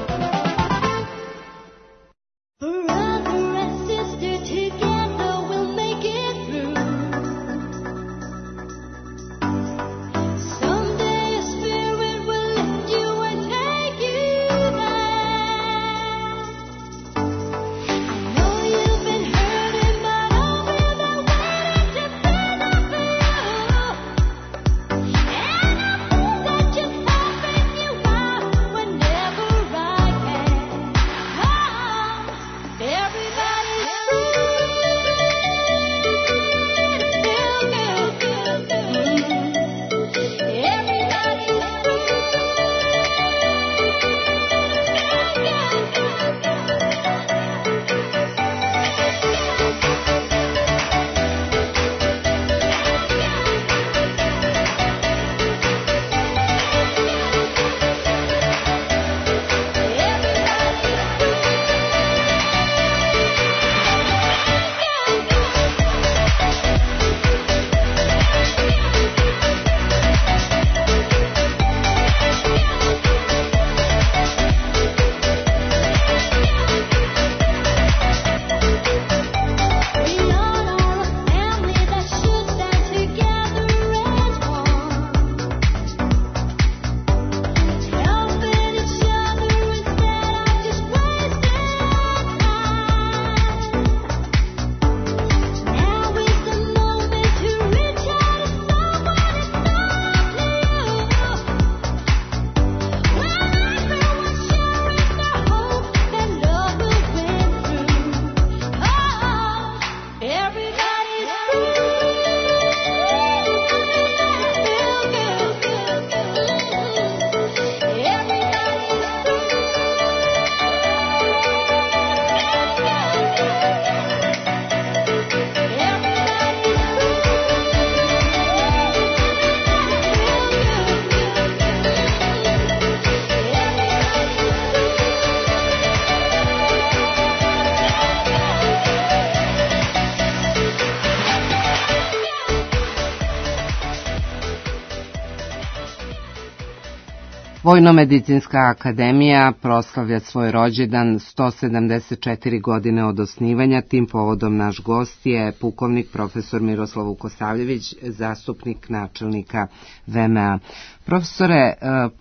Vojnomedicinska akademija proslavlja svoj rođendan sto sedamdeset četiri godine od osnivanja. Tim povodom naš gost je pukovnik profesor Miroslav Vukosavljević, zastupnik načelnika V M A. Profesore,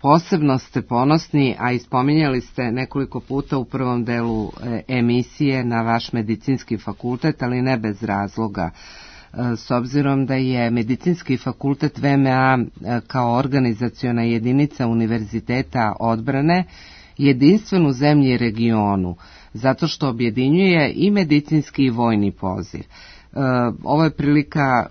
posebno ste ponosni, a ispominjali ste nekoliko puta u prvom delu emisije na vaš medicinski fakultet, ali ne bez razloga. S obzirom da je Medicinski fakultet V M A kao organizaciona jedinica Univerziteta odbrane jedinstven u zemlji i regionu. zato što objedinjuje i medicinski i vojni poziv. Ovo je prilika,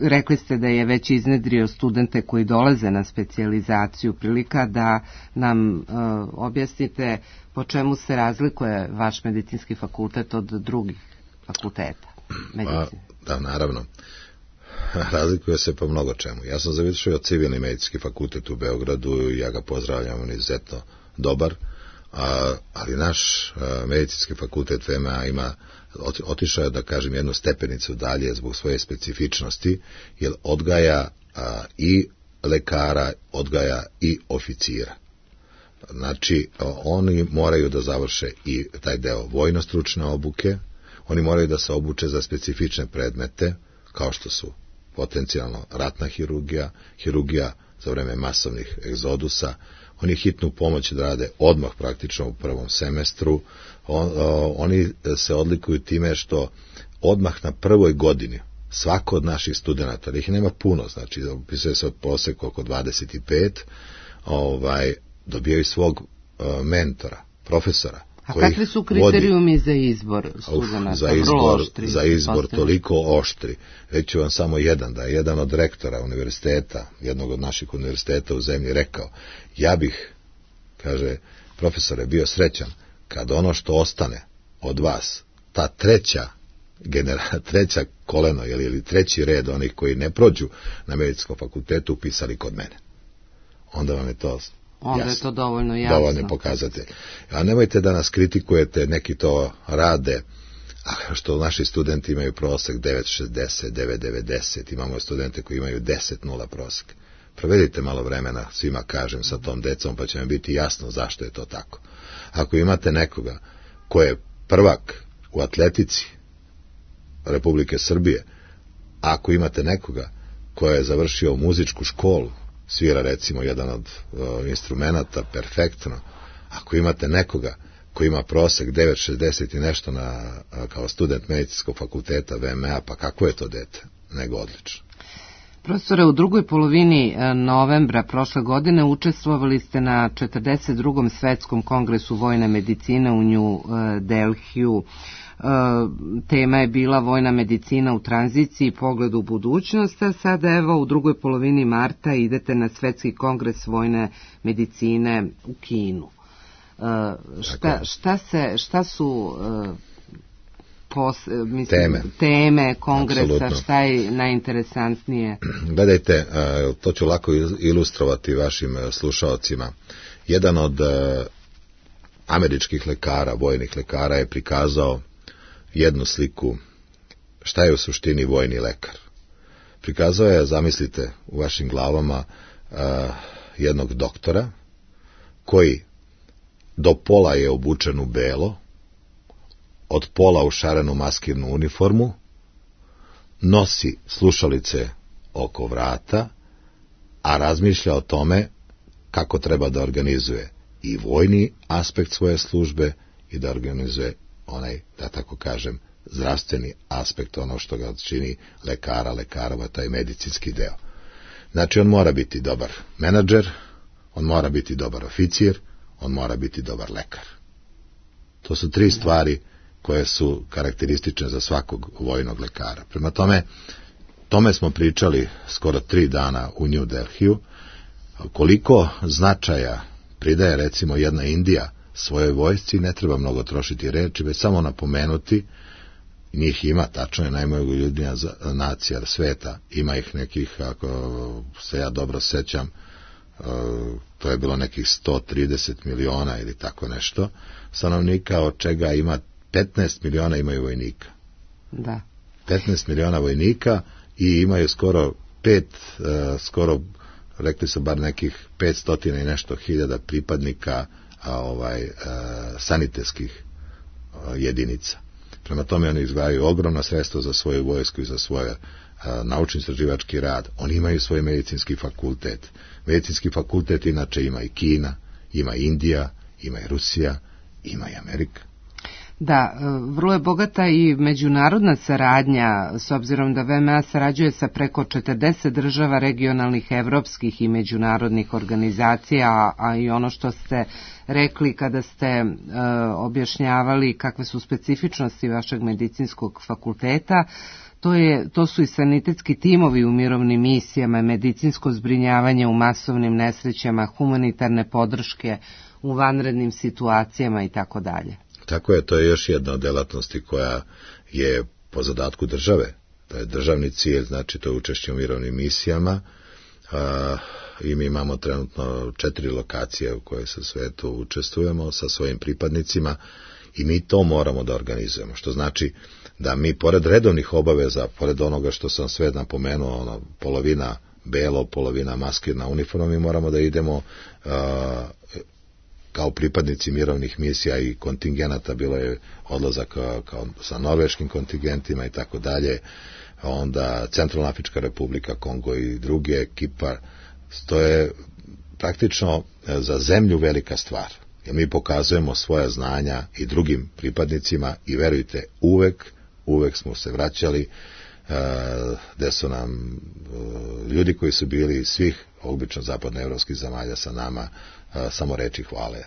rekli ste da je već iznedrio studente koji dolaze na specijalizaciju, prilika da nam objasnite po čemu se razlikuje vaš medicinski fakultet od drugih fakulteta medicine. Pa, da, naravno. Razlikuje se po mnogo čemu. Ja sam završio civilni medicinski fakultet u Beogradu i ja ga pozdravljam, on je izuzetno dobar, a, ali naš a, medicinski fakultet V M A ima, otišao je, da kažem, jednu stepenicu dalje zbog svoje specifičnosti, jer odgaja a, i lekara, odgaja i oficira. Znači, oni moraju da završe i taj deo vojno-stručne obuke, oni moraju da se obuče za specifične predmete, kao što su potencijalno ratna hirurgija, hirurgija za vreme masovnih egzodusa, oni hitnu pomoć da rade odmah praktično u prvom semestru, on, o, oni se odlikuju time što odmah na prvoj godini svako od naših studenta, ih nema puno, znači opisuje se od proseka oko dvadeset pet, ovaj, dobijaju svog uh, mentora, profesora. A kakvi su kriterijumi vodi, za izbor studenata? Za izbor, oštri, za izbor toliko oštri. Reći vam samo jedan, da je jedan od rektora univerziteta, jednog od naših univerziteta u zemlji rekao, ja bih, kaže, profesore, bio srećan kad ono što ostane od vas, ta treća genera, treća koleno ili, ili treći red onih koji ne prođu na medicinskom fakultetu upisali kod mene. Onda vam je to onda jasno, je to dovoljno jasno. Dovoljno pokazatelj. A nemojte da nas kritikujete, neki to rade, a što naši studenti imaju prosek devet šezdeset, devet devedeset, imamo studente koji imaju deset nula prosek. Provedite malo vremena, svima kažem, sa tom decom, pa će vam biti jasno zašto je to tako. Ako imate nekoga ko je prvak u atletici Republike Srbije, ako imate nekoga ko je završio muzičku školu, svira recimo jedan od uh, instrumenta perfektno, ako imate nekoga koji ima prosek devet šezdeset i nešto na, kao student medicinskog fakulteta V M A, pa kako je to dete? Nego odlično. Profesore, u drugoj polovini novembra prošle godine učestvovali ste na četrdeset drugom svetskom kongresu vojne medicine u New Delhiju. Tema je bila vojna medicina u tranziciji, pogled u budućnost, a sada evo u drugoj polovini marta idete na svetski kongres vojne medicine u Kinu. Šta, šta, se, šta su pos, mislim, teme. teme kongresa, Absolutno. Šta je najinteresantnije? Gledajte, to ću lako ilustrovati vašim slušalcima. Jedan od američkih lekara, vojnih lekara je prikazao jednu sliku šta je u suštini vojni lekar. Prikazao je, zamislite, u vašim glavama uh, jednog doktora koji do pola je obučen u belo, od pola u šarenu maskirnu uniformu, nosi slušalice oko vrata, a razmišlja o tome kako treba da organizuje i vojni aspekt svoje službe i da organizuje onaj, da tako kažem, zdravstveni aspekt, ono što ga čini lekara, lekarova, taj medicinski deo. Znači, on mora biti dobar menadžer, on mora biti dobar oficir, on mora biti dobar lekar. To su tri stvari koje su karakteristične za svakog vojnog lekara. Prema tome, tome smo pričali skoro tri dana u New Delhiju, koliko značaja pridaje recimo jedna Indija svojoj vojsci, ne treba mnogo trošiti reči, već samo napomenuti, njih ima, tačno je najmogoljudnija nacija sveta, ima ih nekih, ako se ja dobro sećam, to je bilo nekih sto trideset miliona ili tako nešto, stanovnika, od čega ima petnaest miliona imaju vojnika. Da. petnaest miliona vojnika i imaju skoro pet, skoro, rekli su bar nekih petstotina i nešto hiljada pripadnika a ovaj e, sanitetskih e, jedinica. Prema tome oni izdvajaju ogromna sredstva za svoju vojsku i za svoj e, naučno-istraživački rad. Oni imaju svoj medicinski fakultet. Medicinski fakultet inače ima i Kina, ima Indija, ima i Rusija, ima i Amerika. Da, vrlo je bogata i međunarodna saradnja, s obzirom da V M A sarađuje sa preko četrdeset država regionalnih, evropskih i međunarodnih organizacija, a i ono što ste rekli kada ste e, objašnjavali kakve su specifičnosti vašeg medicinskog fakulteta, to, je, to su i sanitetski timovi u mirovnim misijama, medicinsko zbrinjavanje u masovnim nesrećama, humanitarne podrške u vanrednim situacijama i tako dalje. Tako je, to je još jedna od delatnosti koja je po zadatku države. To je državni cilj, znači to je učešće u mirovnim misijama a, i mi imamo trenutno četiri lokacije u koje sa svetu učestvujemo sa svojim pripadnicima i mi to moramo da organizujemo, što znači da mi pored redovnih obaveza, pored onoga što sam sve napomenuo, ono, polovina belo, polovina maskirna uniforma, mi moramo da idemo a, kao pripadnici mirovnih misija i kontingenata, bilo je odlazak kao, kao sa norveškim kontingentima i tako dalje, onda Centralna Afrička Republika, Kongo i druge ekipa, to je praktično za zemlju velika stvar, jer mi pokazujemo svoja znanja i drugim pripadnicima i verujte, uvek, uvek smo se vraćali, gde su nam ljudi koji su bili svih obično zapadnoevropskih zemalja sa nama samo reči hvale.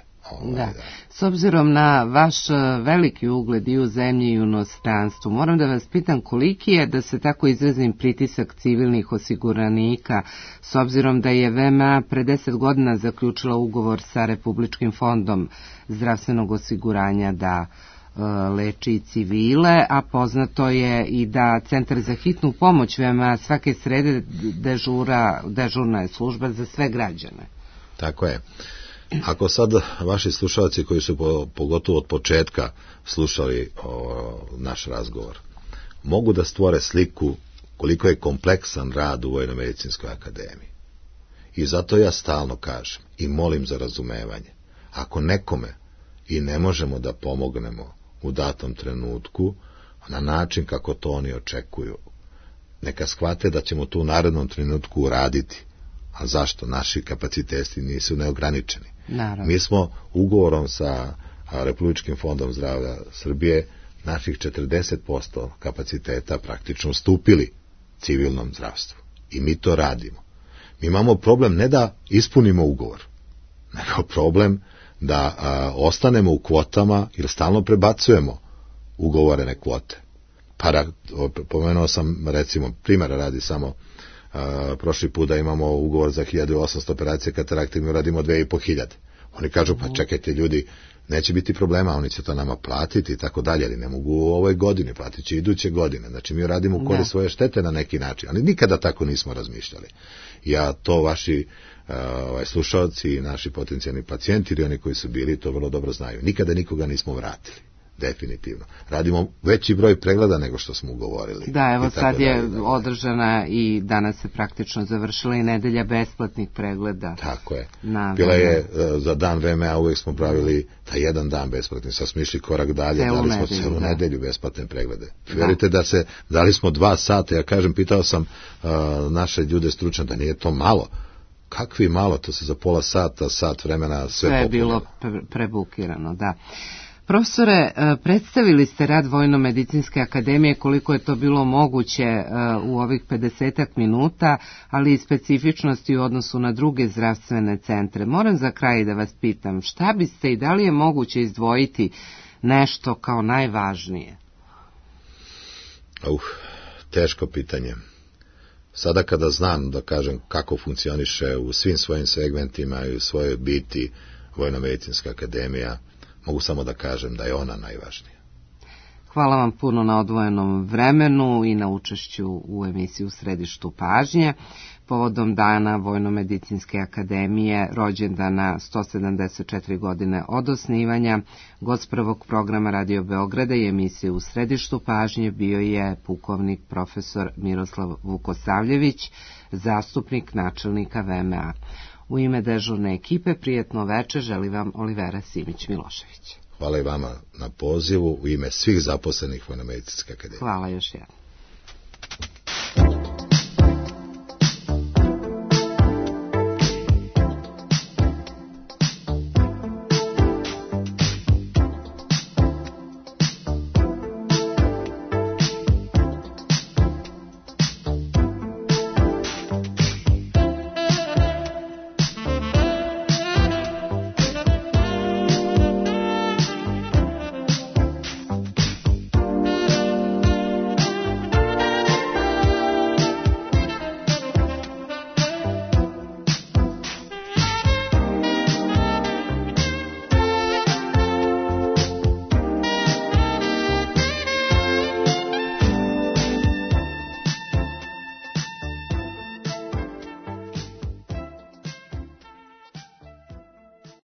Da. S obzirom na vaš veliki ugled i u zemlji i u inostranstvu, moram da vas pitam koliki je, da se tako izrazim, pritisak civilnih osiguranika, s obzirom da je V M A pre deset godina zaključila ugovor sa Republičkim fondom zdravstvenog osiguranja da leči civile, a poznato je i da Centar za hitnu pomoć V M A svake srede dežura, dežurna je služba za sve građane. Tako je. Ako sad vaši slušalci koji su po, pogotovo od početka slušali o, naš razgovor, mogu da stvore sliku koliko je kompleksan rad u Vojno-medicinskoj akademiji. I zato ja stalno kažem i molim za razumevanje. Ako nekome i ne možemo da pomognemo u datom trenutku, na način kako to oni očekuju, neka shvate da ćemo to u narednom trenutku uraditi. A zašto? Naši kapaciteti nisu neograničeni. Naravno. Mi smo ugovorom sa Republičkim fondom zdravlja Srbije naših četrdeset posto kapaciteta praktično ustupili civilnom zdravstvu. I mi to radimo. Mi imamo problem ne da ispunimo ugovor, nego problem da a, ostanemo u kvotama jer stalno prebacujemo ugovorene kvote. Pa, pomenuo sam, recimo, primjera radi samo, a, prošli put da imamo ugovor za hiljadu osamsto operacije katarakte, mi radimo dve i po hiljade. Oni kažu, pa čekajte ljudi, neće biti problema, oni će to nama platiti i tako dalje, ali ne mogu u ovoj godini, platit će iduće godine. Znači mi radimo u korist svoje štete na neki način, ali nikada tako nismo razmišljali. Ja to vaši uh, ovaj, slušalci i naši potencijalni pacijenti ili oni koji su bili to vrlo dobro znaju. Nikada nikoga nismo vratili. Definitivno. Radimo veći broj pregleda nego što smo ugovorili. Da, evo sad je održana i danas se praktično završila i nedelja besplatnih pregleda. Tako je. Bila je za dan V M A, uvijek smo pravili taj jedan dan besplatni, sad smo išli korak dalje, celu dali smo nedelju, celu da. nedelju besplatne preglede. Da. Verujte da se, dali smo dva sata, ja kažem, pitao sam uh, naše ljude stručne da nije to malo. Kakvi malo, to se za pola sata, sat vremena sve, sve je bilo pre prebukirano, da. Profesore, predstavili ste rad Vojno-medicinske akademije, koliko je to bilo moguće u ovih pedesetak minuta, ali i specifičnosti u odnosu na druge zdravstvene centre. Moram za kraj da vas pitam, šta biste i da li je moguće izdvojiti nešto kao najvažnije? Uh, teško pitanje. Sada kada znam, da kažem, kako funkcioniše u svim svojim segmentima i u svojoj biti Vojno-medicinska akademija, mogu samo da kažem da je ona najvažnija. Hvala vam puno na odvojenom vremenu i na učešću u emisiji U središtu pažnje. Povodom dana Vojno-medicinske akademije, rođendana sto sedamdeset četiri godine od osnivanja, gost prvog programa Radio Beograda i emisije U središtu pažnje bio je pukovnik profesor Miroslav Vukosavljević, zastupnik načelnika V M A. U ime dežurne ekipe prijetno veče želi vam Olivera Simić-Milošević. Hvala i vama na pozivu u ime svih zaposlenih Vojno-medicinske akademije. Hvala još jednom.